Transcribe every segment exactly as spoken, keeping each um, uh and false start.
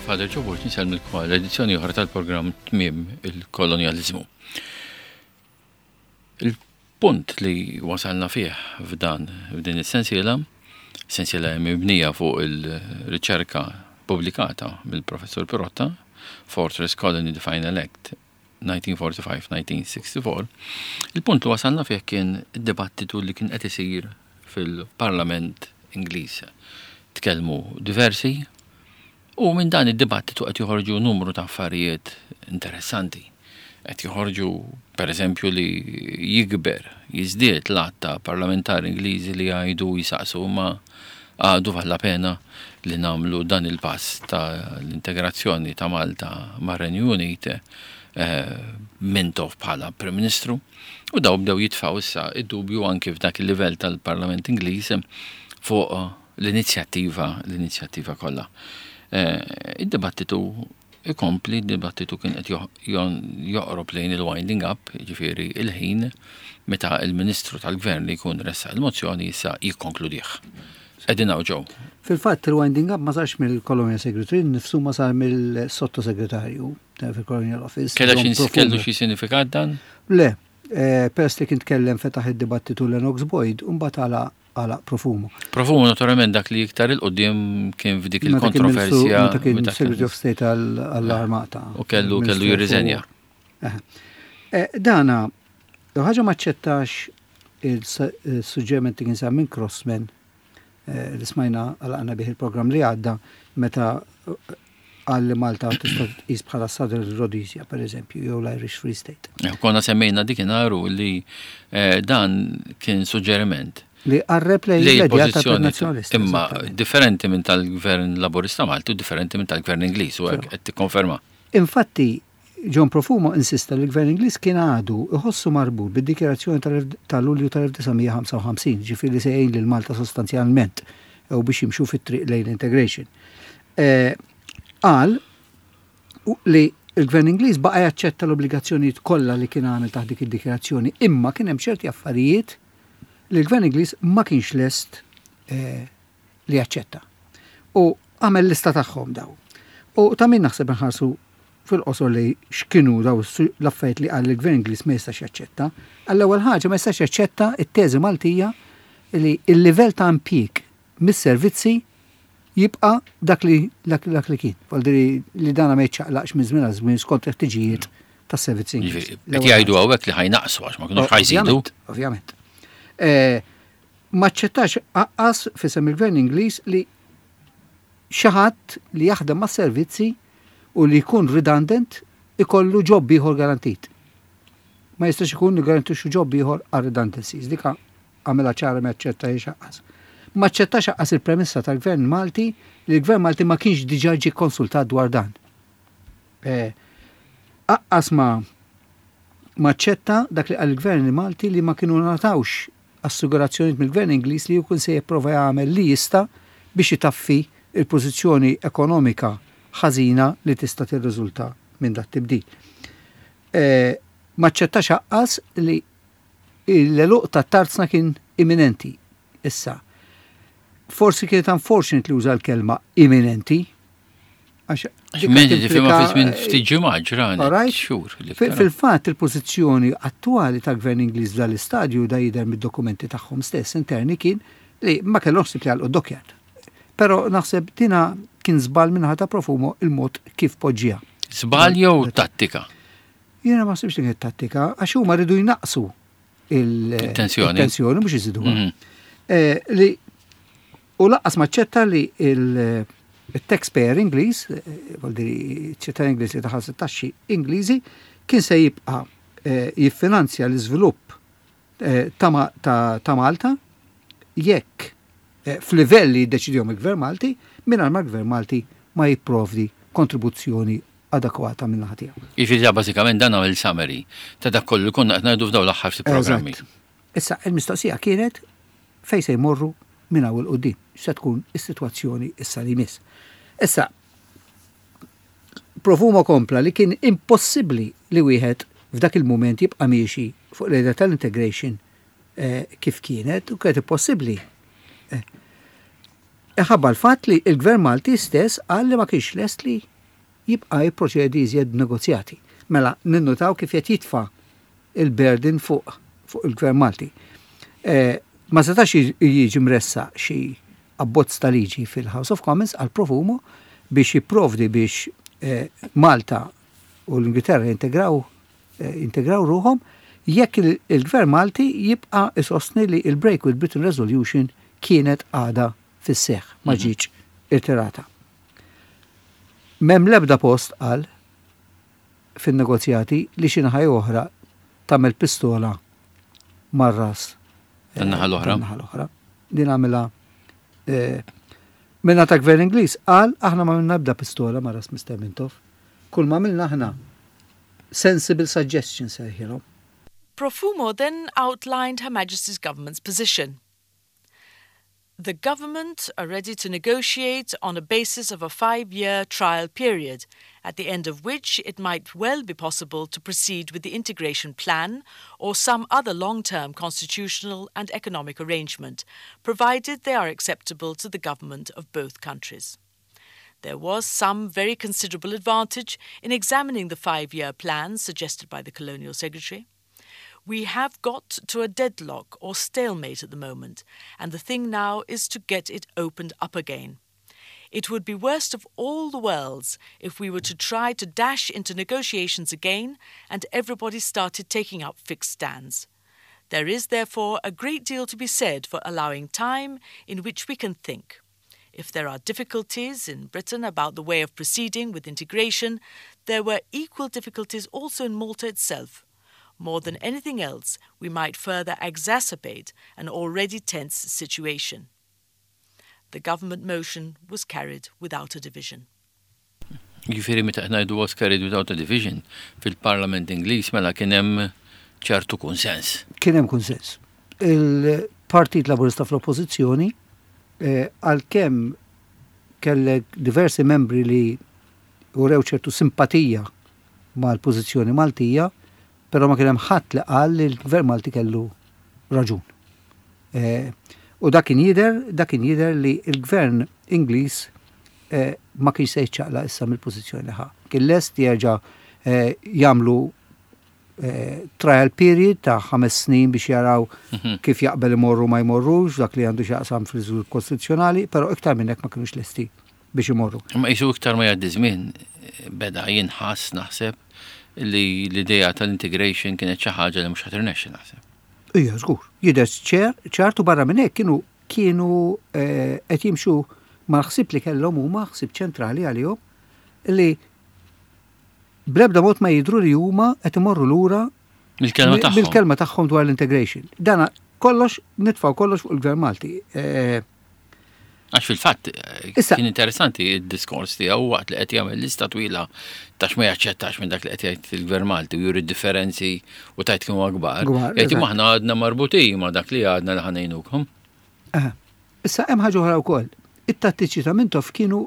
Father Joe Borg, insellmilkom għal edizzjoni oħra tal-programm Tmiem il-Kolonjaliżmu. Il-punt li wasalna fih f'dan f'din is-sensiela, sensiela mibnija fuq il-riċerka pubblikata mill-Professor Pirotta, Fortress Colony The Final Act nineteen forty-five nineteen sixty-four, il-punt li wasalna fih kien id-dibattitu li kien qed isir fil-Parlament Ingliż. Tkellmu diversi u minn dan id-dibattitu qed joħorġu numru ta' affarijiet interessanti. Qed joħorġu, per eżempju, li jikber, jiżdied l-għadd ta' parlamentari Ingliżi li jgħidu, jisaqsu, ma għadu vallapena li nagħmlu dan il-pass ta' l-integrazzjoni ta' Malta mar-Renju Unit eh, Mintoff bħala Prim Ministru? U daw bdew jitfaw issa id-dubju anki f'dak il-livell tal-Parlament Ingliż fuq l-inizjattiva l-inizjattiva kollha. Eh, id-dibattitu ikompli, id-dibattitu kien qed joqrob lejn il-winding up, ġifieri il-ħin meta il-Ministru tal-Gvern li jkun ressaq il-mozzjoni issa jikkonkludih. Qegħdin hawn, Joe. Fil-fatt, il-winding up ma sarx mill-Colonial Secretary nifsu, ma sar mill-sottosegretarju fil-Colonial Office. Kellu xi sinifikat dan? Le, eh, peress li kien tkellem, fetaħ id-dibattitu Lennox Boyd, u mbagħad għalaq għalaq Profumo. Profumo naturalment dak li iktar 'il quddiem kien f'dik il-kontroversja. Meta kien Secretary of State għall-Armata. U kellu kellu jirriżenja. Eh, dana, ħaġa, maċċettax il-suġġeriment li kien sar minn Crossman eh, li smajna, għalaqna bih il-programm li għadda, meta qal li Malta tista' tqis bħala Southern Rhodesia, per eżempju, jew l-Irish Free State. Eh, konna semmejna dik li dan kien suġġeriment li qarreb lejn l-idea tal-nazjonalista. Imma differenti minn tal-Gvern Laburista Malti u differenti minn tal-Gvern Ingliż, u qed tikkonferma. Infatti, John Profumo insista li l-Gvern Ingliż kien għadu iħossu marbut bid-dikjarazzjoni tal-Lulju tal-elf disa' mija ħamsa u ħamsin, ġifieri li se jgħin lil Malta sostanzjalment u biex jimxu fit-triq lejn integration. Eh, qal li il-Gvern Ingliż baqa' jaċċetta l-obbligazzjonijiet kollha li kien għamel taħt dik id-dikjarazzjoni, imma kien hemm ċerti affarijiet li l-Gvern Ingliż ma kienx lest eh, li jaċċetta. U għamel lista tagħhom daw. U ta' min naħseb nħarsu fil-qosor li x'kienu daw l-affarijiet li qal il-Gvern Ingliż ma jistax jaċċetta. Għall-ewwel ħaġa, ma jistax jaċċetta it-teżi Maltija li il-livell ta' impjieg mis-servizzi jibqa' dak li dak, dak li kien. Li dana ma jiċċaqlaqx minn żmien għal żmien skont il-ħtiġijiet tas-servizzi. Qed jgħidu hawnhekk li ħa jnaqqsu għax ma kinux ħa jżidu. Ovvjament. Eh, ma ċċettax lanqas f'isem il-Gvern Ingliż li xi ħadd li jaħdem ma' servizzi u li jkun redundant ikollu job ieħor garantit. Ma jistax ikun li garantixxu job ieħor għal redundancies. Dika għamilha ċara, ma ċċettahiex lanqas. Ma ċċettax lanqas il-premessa tal-Gvern Malti li l-Gvern Malti ma kienx diġà ġie konsultat dwar dan. Eh, lanqas ma ma ċċetta dak li qal il-Gvern Malti li ma kienu ngħatawx assigurazzjoni mill-Gvern Ingliż li jkun se jipprova jagħmel li jista' biex itaffi il-pożizzjoni ekonomika ħażina li tista' tirriżulta minn dat tibdil. E, ma ċċettax lanqas li l-għeluq ta' tarzna kien imminenti. Issa, forsi kienet unfortunate li uża l-kelma imminenti. Għax tifhimha fi żmien ftit ġimgħat, ġranet, xhur. Fil-fatt, il-pożizzjoni attwali tal-Gvern Ingliż dal-istadju, da jidher mid-dokumenti tagħhom stess interni, kien li ma kellhomx li jagħlqu dockyard. Però naħseb dina kien żball minn ta' Profumo il-mod kif poġġiha. Żball jew tattika? Jiena ma naħsibx li kienet tattika, għax huma rridu jnaqsu il-tensjoni, il-tensjoni mhux iżiduha. Mhm. Eh, li u lanqas maċċetta li il- il-taxpayer Ingliż, eh, ċittadin Ingliż li tħallas taxxi Ingliżi, kien se jibqa' eh, jiffinanzja l-iżvilupp eh, ta' Malta jekk f'livell li jiddeċidihom il-Gvern Malti, mingħajr ma l-Gvern Malti ma jipprovdi kontribuzzjoni adekwata minn naħa tiegħu. Jiġifieri bażikament dan il summary ta' dak kollu li konna qed ngħidu f'dawn l-aħħar ftit programmi. Issa, il-mistoqsija kienet fejn se jmorru minn hawn 'il quddiem, se tkun is-sitwazzjoni issa li jmiss. Issa, Profumo kompla li kien impossibbli li wieħed f'dak il-moment jibqa' miexi fuq l-idea tal-integration eh, kif kienet u kienet impossibbli. Eh, Ħabba l-fatt li il-Gvern Malti stess qal li ma kienx lest li jibqa' jipproċedi iżjed negozjati. Mela ninnutaw kif qed jitfa' il-burden fuq fuq il-Gvern Malti. Eh, ma setax jiġi mressaq xi abbozz ta' liġi fil-House of Commons għal Profumo biex jipprovdi biex eh, Malta u l-Ingilterra integraw eh, integraw ruħhom jekk il-Gvern Malti jibqa' isostni li il-Break with Britain Resolution kienet għada fis-seħ, ma mhm. ġietx irtirata. M'hemm lebda post għal fin-negozjati li xi naħa oħra tagħmel pistola mar-ras tan-naħa l-oħra. Tan-naħa l-oħra. Din għamilha eh, Minna ta' gvern Ingliż qal aħna ma għamilna ebda pistola ma' ras Mister Mintoff. Kull ma għamilna aħna sensible suggestions sejħilhom. Profumo then outlined Her Majesty's government's position. The government are ready to negotiate on a basis of a five-year trial period, at the end of which it might well be possible to proceed with the integration plan or some other long-term constitutional and economic arrangement, provided they are acceptable to the government of both countries. There was some very considerable advantage in examining the five-year plan suggested by the Colonial Secretary. We have got to a deadlock or stalemate at the moment, and the thing now is to get it opened up again. It would be worst of all the worlds if we were to try to dash into negotiations again and everybody started taking up fixed stands. There is therefore a great deal to be said for allowing time in which we can think. If there are difficulties in Britain about the way of proceeding with integration, there were equal difficulties also in Malta itself. More than anything else, we might further exacerbate an already tense situation. The government motion was carried without a division. Jiġifieri meta ngħidu was carried without a division fil-Parlament Ingliż, mela kien hemm ċertu konsens. Kien hemm konsens. Il-Partit Laburista fl-Oppożizzjoni, eh, għalkemm kellek diversi membri li urew ċertu simpatija mal-pożizzjoni Maltija, però ma kien hemm ħadd li qal li l-Gvern Malti kellu raġun. Eh, u dak kien jidher, dak kien jidher li l-Gvern Ingliż eh, ma kienx se jiċċaqlaq issa mill-pożizzjoni li ħa. Kien lest jerġa' eh, jagħmlu trial period ta' ħames snin biex jaraw mhm. kif jaqbel imorru ma jmorrux, dak li għandu x'jaqsam fil-żvilupp kostituzzjonali, però iktar minn hekk ma kienux lesti biex imorru. Ma jisu iktar ma jgħaddi żmien beda jinħass, naħseb, li l-idea tal-integration kienet xi ħaġa li mhux ħa tirnexxi, naħseb. Ija, żgur. Jidher ċer, ċartu barra minn hekk kienu kienu eh, qed jimxu mal-ħsieb li kellhom huma, ħsieb ċentrali għalihom, li bl-ebda mod ma jidru li huma qed imorru lura mill-kelma tagħhom. Mill-kelma tagħhom dwar l-integration. Dana kollox nitfgħu kollox fuq il-Gvern Malti. Eh, Għax fil-fatt eh, kien interessanti il-diskors tiegħu waqt li qed jagħmel lista twila ta' x'ma jaċċettax minn dak li qed jgħid il-Gvern Malti u juri differenzi u tajt kienu akbar. Jgħid aħna għadna marbutin ma' dak li għadna li ħa ngħinukom. Issa hemm ħaġa oħra wkoll. It-tattiċi ta' Mintoff kienu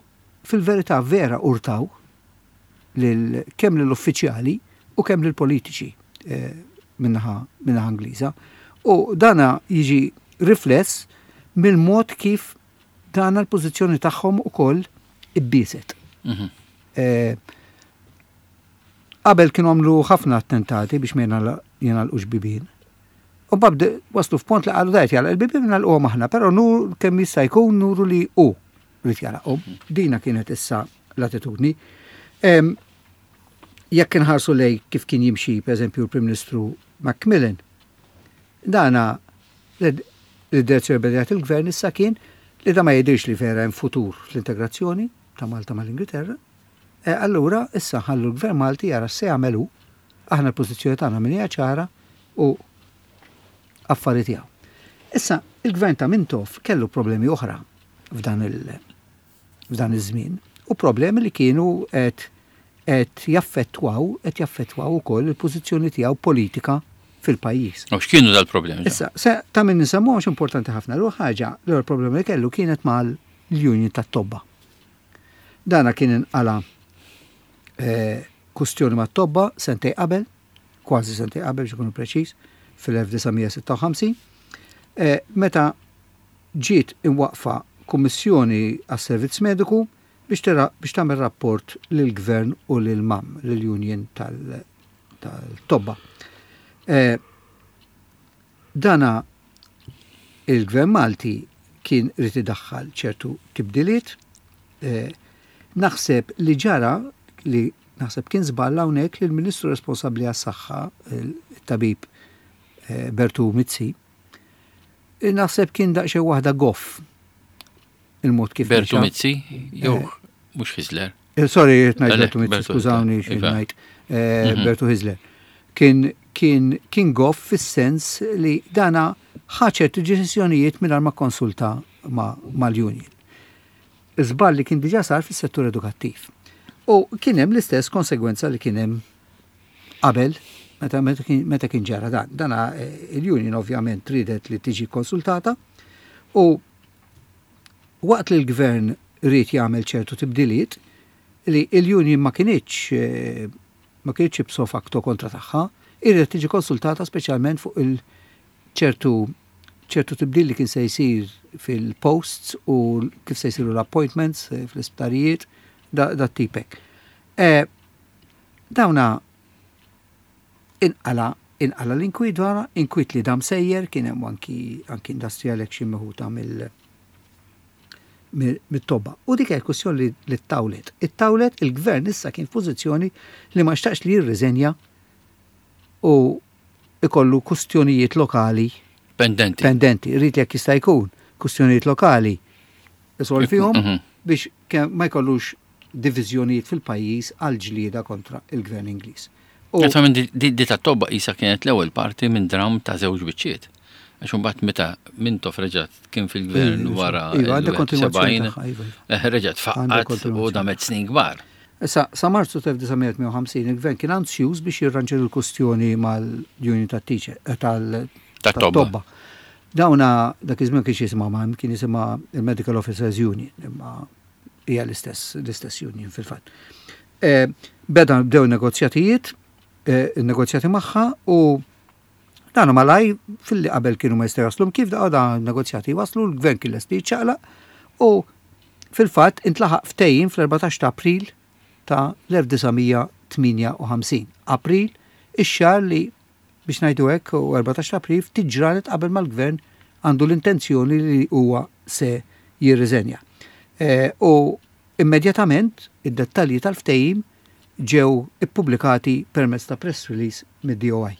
fil-verità vera urtaw lil kemm lill-uffiċjali u kemm lill-politiċi eh, min-naħa min-naħa Ingliża. U dana jiġi rifless mill-mod kif dana l-pożizzjoni tagħhom ukoll ibbiset. Mhm. Eh, qabel kienu għamlu ħafna attentati biex ma jingħalqux bibien. U mbagħad waslu f'pont li qalu dajt jagħlaq il-bibien nagħlquhom aħna, però nur kemm jista' jkun nuru li hu rrid jagħlaqhom. Dina kienet issa l-attitudni. Jekk inħarsu lej kif kien jimxi, per eżempju, l-Prim Ministru Macmillan, dana l-direzzjoni beda il-gvern issa kien li da ma jidirx li vera hemm futur fl-integrazzjoni ta' Malta mal-Ingilterra. E allura issa ħallu l-Gvern Malti jara se jagħmelu, aħna l-pożizzjoni tagħna min hija ċara u affari tiegħu. Issa il-gvern ta' Mintoff kellu problemi oħra f'dan il f'dan iż-żmien u problemi li kienu qed qed jaffettwaw qed jaffettwaw ukoll il-pożizzjoni tiegħu politika fil-pajjiż. U x'kienu dal-problemi? Issa, se ta' min nisemmu għax importanti ħafna. L ħaġa, l-ewwel problema li kellu kienet mal-union tat-tobba. Dana kien inqala eh, kustjoni mat-tobba sentej qabel, kważi sentej qabel biex ikunu preċiż, fil-elf disa' mija sitta u ħamsin, eh, meta ġiet imwaqfa kummissjoni għas-servizz mediku biex biex tagħmel rapport lill-gvern u lil M A M, lill-Union tal-Tobba. Eh, dana il-gvern Malti kien irid idaħħal ċertu tibdiliet, eh, naħseb li ġara li naħseb kien żball hawnhekk li l-Ministru responsabbli għas-saħħa, il-tabib eh, Bertu Mizzi, naħseb kien daqsxejn waħda goff il-mod kif. Bertu Mizzi? Jew mhux Hyzler? Eh, sorry, ngħid Bertu Mizzi, skużawni xi iva. ngħid. Eh, mhm. Bertu Hyzler. Kien kien kien goff fis-sens li dana ħa ċertu deċiżjonijiet mingħajr ma konsulta mal-union. Żball li kien diġà sar fis-settur edukattiv. U kien hemm l-istess konsegwenza li kien hemm qabel meta, meta kien ġara dan. Dana eh, il-union ovvjament ridet li tiġi konsultata u waqt li l-gvern ried jagħmel ċertu tibdiliet li il-union ma kinitx eh, ma kinitx ipso facto kontra tagħha, irridet tiġi konsultata speċjalment fuq il-ċertu ċertu tibdil li kien se jsir fil-posts u kif se jsiru l-appointments eh, fl-isptarijiet da, da tipek. E, dawna inqala inqala l-inkwiet wara, inkwiet li dam sejjer, kien hemm anki anki industrial action meħuta mill mit-tobba. U dik hija kwestjoni li ttawlet. Ittawlet, il-gvern issa kien f'pożizzjoni li ma xtaqx li jirriżenja u ikollu kustjonijiet lokali pendenti. Pendenti, ried jekk jista' jkun kustjonijiet lokali isolvihom mhm. biex ma jkollux diviżjonijiet fil-pajjiż għal ġlieda kontra il-gvern Ingliż. Minn di ta' tobba isa kienet l-ewwel parti minn dram ta' żewġ biċċiet. Għax imbagħad meta Mintoff reġgħet kien fil-gvern iva, wara iva, sebgħin, iva, eh, reġgħet faqqgħet u damet snin kbar. Issa, sa Marzu elf disa' mija u tmienja u ħamsin il-gvern kien ansjuż biex jirranġa l-kustjoni mal-union tat-teacher, eh, tal-tobba. Dawna dak iż-żmien kien jisimha ma kien jisimha il-Medical Officers Union, imma hija l-istess l-istess union fil-fatt. Eh, beda bdew negozjatijiet, negozjati magħha u dan malaj fil-li qabel kienu ma jistgħu jaslu kif da da negozjati waslu, l-gvern kien lesti jiċċaqlaq u fil-fatt intlaħaq ftehim fl-erbatax ta' April ta' elf disa' mija tmienja u ħamsin. April, ix-xahar li biex ngħidu hekk u erbatax ta' April ftit ġranet qabel mal-gvern għandu l-intenzjoni li huwa se jirriżenja. E, u immedjatament id-dettalji tal-ftehim ġew ippubblikati permezz ta' press release mid-D O I.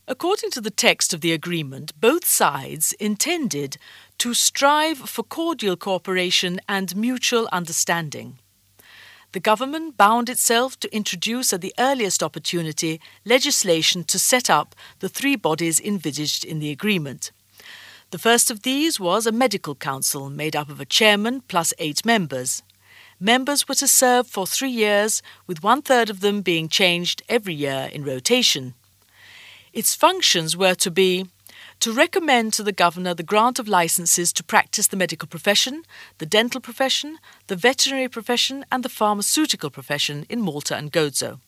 According to the text of the agreement, both sides intended to strive for cordial cooperation and mutual understanding. The government bound itself to introduce at the earliest opportunity legislation to set up the three bodies envisaged in the agreement. The first of these was a medical council made up of a chairman plus eight members. Members were to serve for three years, with one third of them being changed every year in rotation. Its functions were to be to recommend to the governor the grant of licenses to practice the medical profession, the dental profession, the veterinary profession, and the pharmaceutical profession in Malta and Gozo,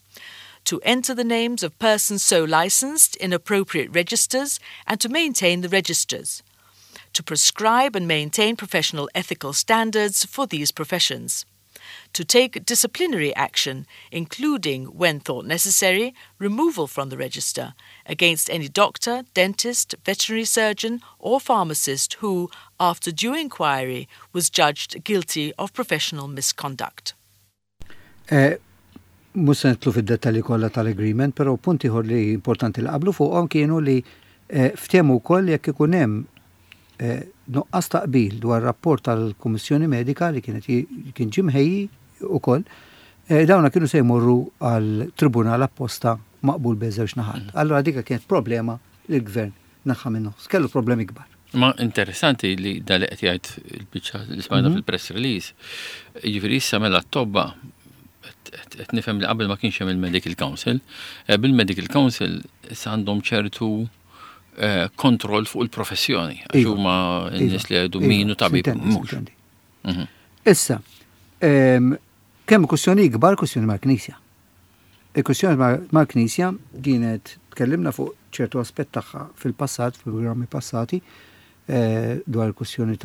to enter the names of persons so licensed in appropriate registers and to maintain the registers, to prescribe and maintain professional ethical standards for these professions, to take disciplinary action, including, when thought necessary, removal from the register against any doctor, dentist, veterinary surgeon, or pharmacist who, after due inquiry, was judged guilty of professional misconduct. Eh, Mhux se nidħlu fid-dettalji kollha tal-agreement, però punti ieħor li importanti li qablu fuqhom kienu li eh, ftehmu wkoll jekk ikun hemm eh, nuqqas ta' qbil dwar rapport tal-Kummissjoni Medika li kienet kien ġie mħejji ukoll, eh, dawna kienu se jmorru għal tribunal apposta maqbul bejn żewġ naħat. Mm. Allora dika kienet problema li l-gvern neħħa minnu. Kellu problemi kbar. Ma interessanti li da li qed jgħid il-biċċa li smajna mhm. fil-press release. Jiġifieri issa mela t-tobba qed nifhem li qabel ma kienx hemm il-Medical Council, eh, bil-Medical Council issa għandhom ċertu eh, kontroll fuq il-professjoni, għax iva. huma n-nies li jgħidu iva, min hu tabib mhux. Mhm. Issa, kemm kwestjoni ikbar, kwestjoni mal-Knisja. Il-kwestjoni mal-Knisja kienet tkellimna fuq ċertu aspett tagħha fil-passat, fil-programmi passati, eh, dwar il-kwestjoni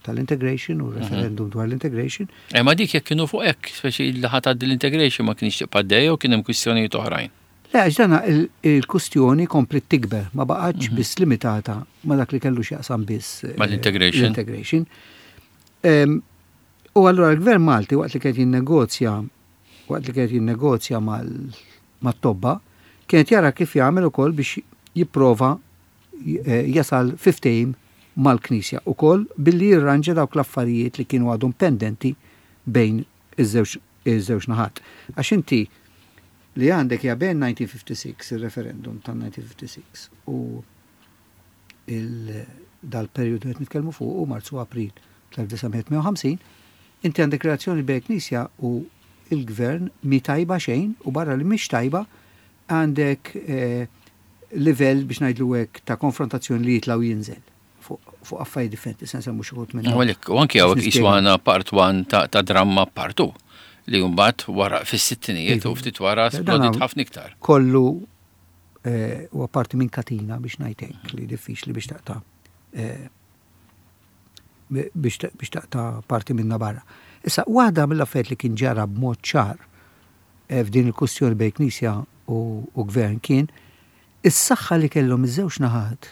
tal-integration u referendum dwar l-integration. Eh, ma dik jekk kienu fuq hekk, speċi li ħa tgħaddi l-integration ma kienx tibqa' dejja u kien hemm kwistjonijiet oħrajn. Le, għax dana il-kustjoni komplet tikber, ma baqgħetx biss limitata ma dak li kellu x'jaqsam biss eh, Mal-integration. L-integration. Em, U allura l-gvern Malti, waqt li kien jinnegozja waqt li kien jinnegozja mal-tobba, kienet jara kif jagħmel ukoll biex jipprova eh, jasal fi ftehim mal-Knisja ukoll billi jirranġa dawk l-affarijiet li kienu għadhom pendenti bejn iż-żewġ iż-żewġ naħat. Għax inti li għandek ja bejn elf disa' mija u ħamsa u sittin, il-referendum tal-elf disa' mija u ħamsa u sittin u il- dal-periodu qed nitkellmu fuq u Marzu, April elf disa' mija u tmienja u ħamsin, inti għandek relazzjoni bejn Knisja u il-gvern mi tajba xejn, u barra li mhix tajba għandek eh, livell, biex ngħidlu hekk, ta' konfrontazzjoni li jitla' u jinżel fuq fuq affarijiet differenti, sensa mhux uħud minn. U għalhekk, u anki hawnhekk Nispjega. iswana part one ta' ta' dramma part two li mbagħad wara fis-sittinijiet u ftit wara Dan splodit ħafna iktar. Kollu eh, u apparti minn katina, biex ngħidlek, li diffiċli biex taqta' eh, biex biex taqta' parti minna barra. Issa, waħda mill-affarijiet li kien ġara b'mod ċar eh, f'din il-kustjoni bejn Knisja u, u gvern kien is-saħħa li kellhom iż-żewġ naħat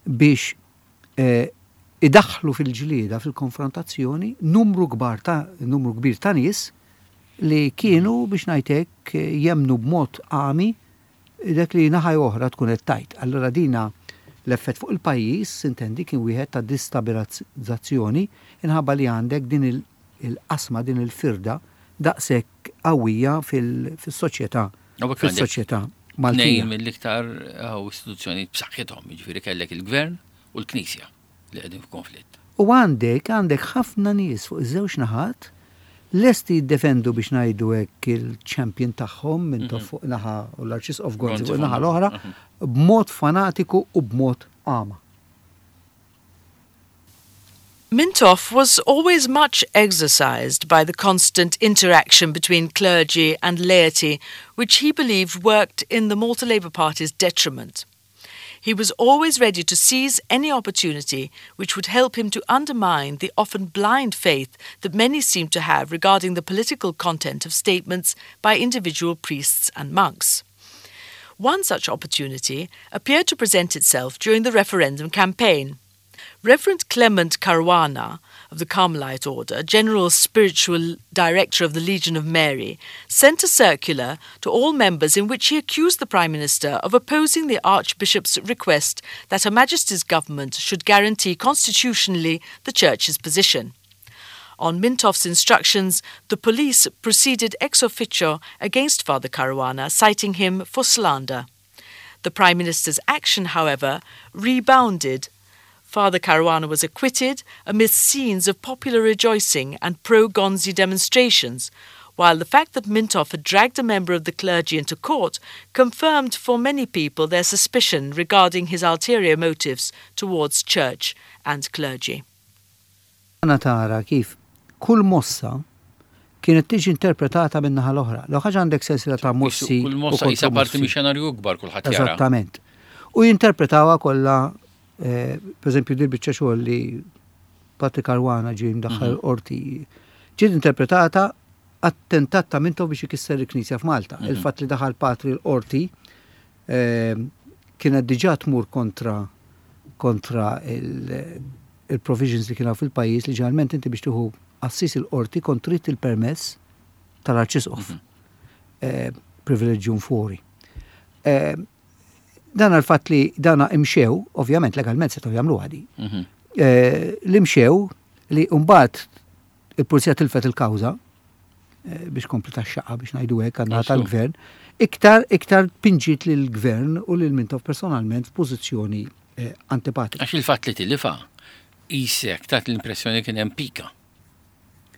biex eh, idaħħlu fil-ġlieda, fil-konfrontazzjoni, numru kbar ta' numru kbir ta' nies li kienu, biex ngħidlek, jemnu b'mod għami dak li naħa oħra tkun qed tgħid. Allura dina l-effett fuq il-pajjiż, intendi, kien wieħed ta' distabilizzazzjoni inħabba li għandek din il- il-qasma, din il-firda daqshekk qawwija fil-soċjetà U hekk għandek fil-soċjetà tnejn Maltija. mill-iktar eh, istituzzjoni b'saħħithom, jiġifieri kellek il-gvern u l-Knisja li qegħdin f'konflitt. U għandek għandek ħafna nies fuq iż-żewġ naħat lesti jiddefendu, biex ngħidu hekk, il-champion tagħhom minn mm fuq naħa u l-Arċisqof Gonzi Gonzi fuq naħa fuq l-oħra b'mod fanatiku u b'mod għama. Mintoff was always much exercised by the constant interaction between clergy and laity, which he believed worked in the Malta Labour Party's detriment. He was always ready to seize any opportunity which would help him to undermine the often blind faith that many seemed to have regarding the political content of statements by individual priests and monks. One such opportunity appeared to present itself during the referendum campaign. Reverend Clement Caruana of the Carmelite Order, General Spiritual Director of the Legion of Mary, sent a circular to all members in which he accused the Prime Minister of opposing the Archbishop's request that Her Majesty's government should guarantee constitutionally the Church's position. On Mintoff's instructions, the police proceeded ex officio against Father Caruana, citing him for slander. The Prime Minister's action, however, rebounded. Father Caruana was acquitted amidst scenes of popular rejoicing and pro Gonzi demonstrations, while the fact that Mintoff had dragged a member of the clergy into court confirmed for many people their suspicion regarding his ulterior motives towards church and clergy. Għana tara kif kull mossa kienet tiġi interpretata minn naħa l-oħra. L ħaġa għandek sensiela ta' mossi. Kull u mossa isa parti kontromossi. minn xenarju kbar, kulħadd jara. Eżattament. U jinterpretawha kollha, eh, per eżempju, dil biċċa xogħol li Patri Caruana ġie mdaħħal qorti, ġiet interpretata attentat ta' Mintoff biex ikisser il-Knisja f'Malta. Il-fatt li daħal Patri l-qorti eh, kienet diġà tmur kontra kontra il- il-provisions li kienu fil-pajjiż, li ġeneralment inti biex tieħu qassis il-qorti kont trid il-permess tal-Arċisqof. Eh, privilegium fori. Eh, dan għal-fatt li dana imxew, ovvjament legalment setgħu jagħmlu għadi. Mhm. Eh, li mxew li mbagħad il-pulizija tilfet il-kawża eh, biex kompli tax-xaqa, biex ngħidu hekk, għandna Għaxu. tal-gvern, iktar iktar pinġiet lil gvern u lil Mintoff personalment f'pożizzjoni eh, antipatika. Għax il-fatt li tilifa isek tat l-impressjoni kien hemm pika.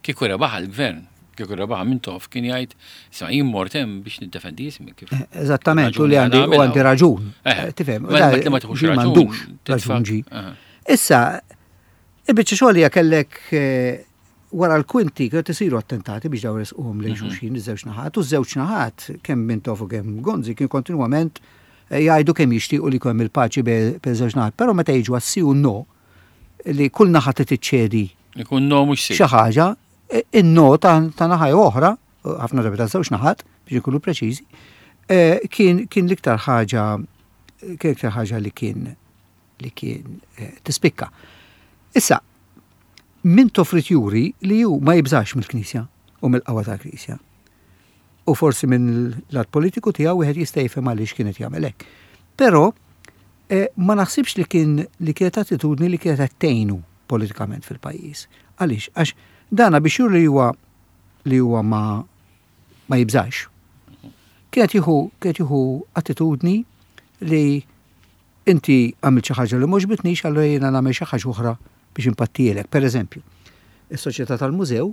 Kieku rebaħ il-gvern, kieku rebaħ Mintoff, kien jgħid, "Isma', jien mort hemm biex niddefendi ismi." Kif Eh, Eżattament, u li għandi u għandi raġun. Eh, Eh, Tifhem, ma- da- ma li ma tieħux ġi raġun, m'għandux titfa' raġun ġi. Aha. Issa, il-biċċa xogħol hija kellek eh, wara l-kwinti kienu isiru attentati biex daw resquhom lejn xulxin iż-żewġ naħat, u ż-żewġ naħat, kemm Mintoff u kemm Gonzi, kien kontinwament eh, jgħidu kemm jixtiequ li jkun hemm il-paċi bejn żewġ naħat, però meta jiġu għas-si u no li kull naħa tiċċedi Ikun no mhux xi ħaġa, in-no ta' naħa oħra, ħafna drabi ta' żewġ naħat biex ikunu preċiżi, eh, kien kien l-iktar ħaġa kien iktar ħaġa li kien li kien eh, tispikka. Issa, Mintoff ried juri li ju ma jibżax mill-Knisja u mill-qawwa tal-Knisja. U forsi minn l-lat politiku tiegħu wieħed jista' jifhem għaliex kienet jagħmel hekk. Però eh, ma naħsibx li kien li kienet attitudni li kienet tgħinu politikament fil-pajjiż. Għaliex? Għax dana biex juri li huwa li huwa ma ma jibżax. Kienet jieħu kienet jieħu attitudni li inti għamilt xi ħaġa li m'għoġbitnix, allura jiena nagħmel xi ħaġa oħra biex impattielek. Per eżempju, is-Soċjetà tal-Mużew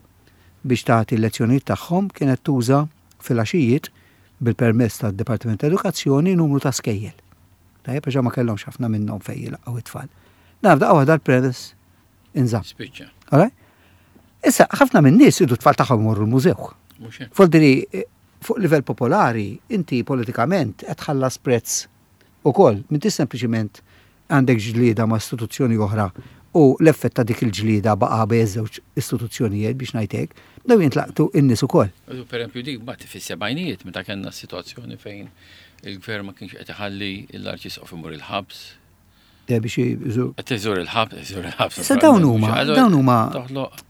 biex tagħti l-lezzjonijiet tagħhom kienet tuża fil-għaxijiet bil-permess tad-Dipartiment ta' Edukazzjoni numru ta' skejjel. Tajjeb, għax ma kellhomx ħafna minnhom fejn jilaqgħu it-tfal. Naf daqqa waħda l-permess inżamm. Spiċċa. Alright? Issa, ħafna minn nies idu t-tfal tagħhom imorru l-mużew. Mhux hekk. Voldiri, eh, fuq livell popolari, inti politikament qed tħallas prezz ukoll, m'intix sempliċiment għandek ġlieda ma' istituzzjoni oħra u l-effett ta' dik il-ġlieda baqa' bejn żewġ istituzzjonijiet biex ngħidlek, daw jintlaqtu in-nies ukoll. U Per esempio dik mbagħad fis-sebgħinijiet meta kellna situazzjoni fejn il-gvern ma kienx qed iħalli l-arċisqof imur il-ħabs. Eh, biex jiżu- Qed iżur il-ħabs, iżur il-ħabs. Issa dawn huma- Allura dawn huma- Toħloq.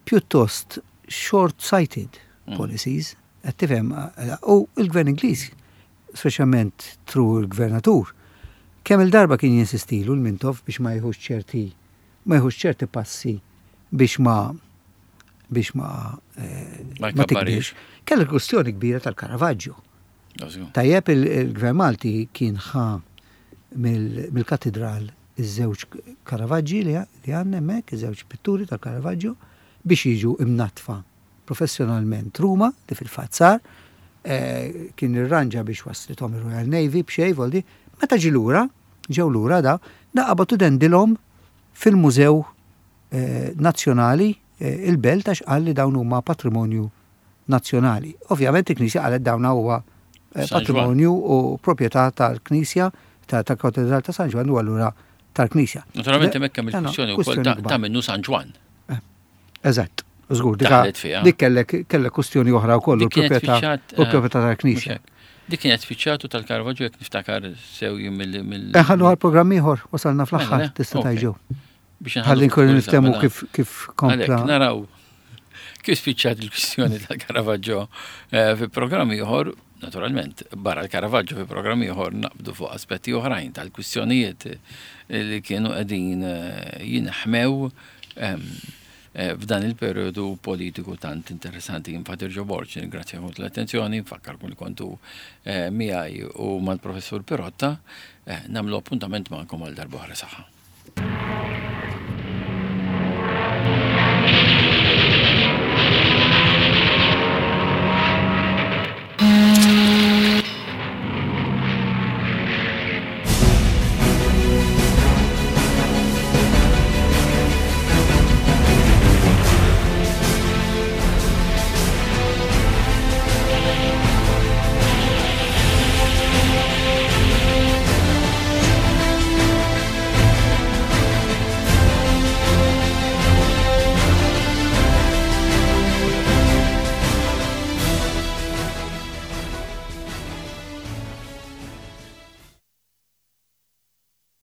pjuttost short-sighted policies, qed tifhem, eh, u il-gvern Ingliż, speċjalment through il-gvernatur, kemm il-darba kien jinsistilu l-Mintoff biex ma jieħux ċerti ma jieħux ċerti passi biex ma biex ma eh, Ma ma jkabbarix. tikbirx. Kellha kwestjoni kbira tal-Caravaggio. Żgur. Tajjeb il- il-gvern Malti kien ħa mill- mill-katedral iż-żewġ Caravaggi li li għandna hemmhekk, iż-żewġ pitturi tal-Caravaggio biex jiġu imnatfa professjonalment Ruma, li fil-fatt sar, eh, kien irranġa biex waslithom ir-Royal Navy b'xejn voldi, meta ġi lura, ġew lura da, da qabatu dendilhom fil-Mużew eh, Nazzjonali eh, il-Belt għax qal li dawn huma patrimonju nazzjonali. Ovvjament il-Knisja qalet dawn huwa eh, San Ġwann. patrimonju u proprjetà tal-Knisja tal-Katedral ta' San Ġwann u allura tal-Knisja. Naturalment hemmhekk hemm No, no, il-kwistjoni wkoll kwistjoni ta' kbar. ta' minnu San Ġwann. Eżatt, żgur, dika- Daħlet fiha. dik kellek kellek kwestjoni oħra wkoll u Dik kienet l-proprjetà fiċċat, u l-proprjetà eh, tal-Knisja. mhux hekk. Dik kienet fiċċatu tal-Caravaggio jekk niftakar sew jien mill mill Ħallu għal programm ieħor wasalna fl-aħħar Mela, tista' ok. tajġew. Biex nħallu Ħalli nkunu ftit niftehmu mela. kif kif kompla. Għalhekk naraw kif spiċċat il-kwistjoni tal-Caravaggio eh, fi programm ieħor, naturalment, barra l-Caravaggio fi programm ieħor naqbdu fuq aspetti oħrajn tal-kwistjonijiet li kienu qegħdin eh, jinħmew ehm, eh, f'dan il-periodu politiku tant interessanti. Infatti Ġo Borg, nirringrazzjakom l-attenzjoni, nfakkarkom li kontu eh, miegħi u mal-professur Pirotta, eh, nagħmlu appuntament magħkom għal darb'oħra saħħa.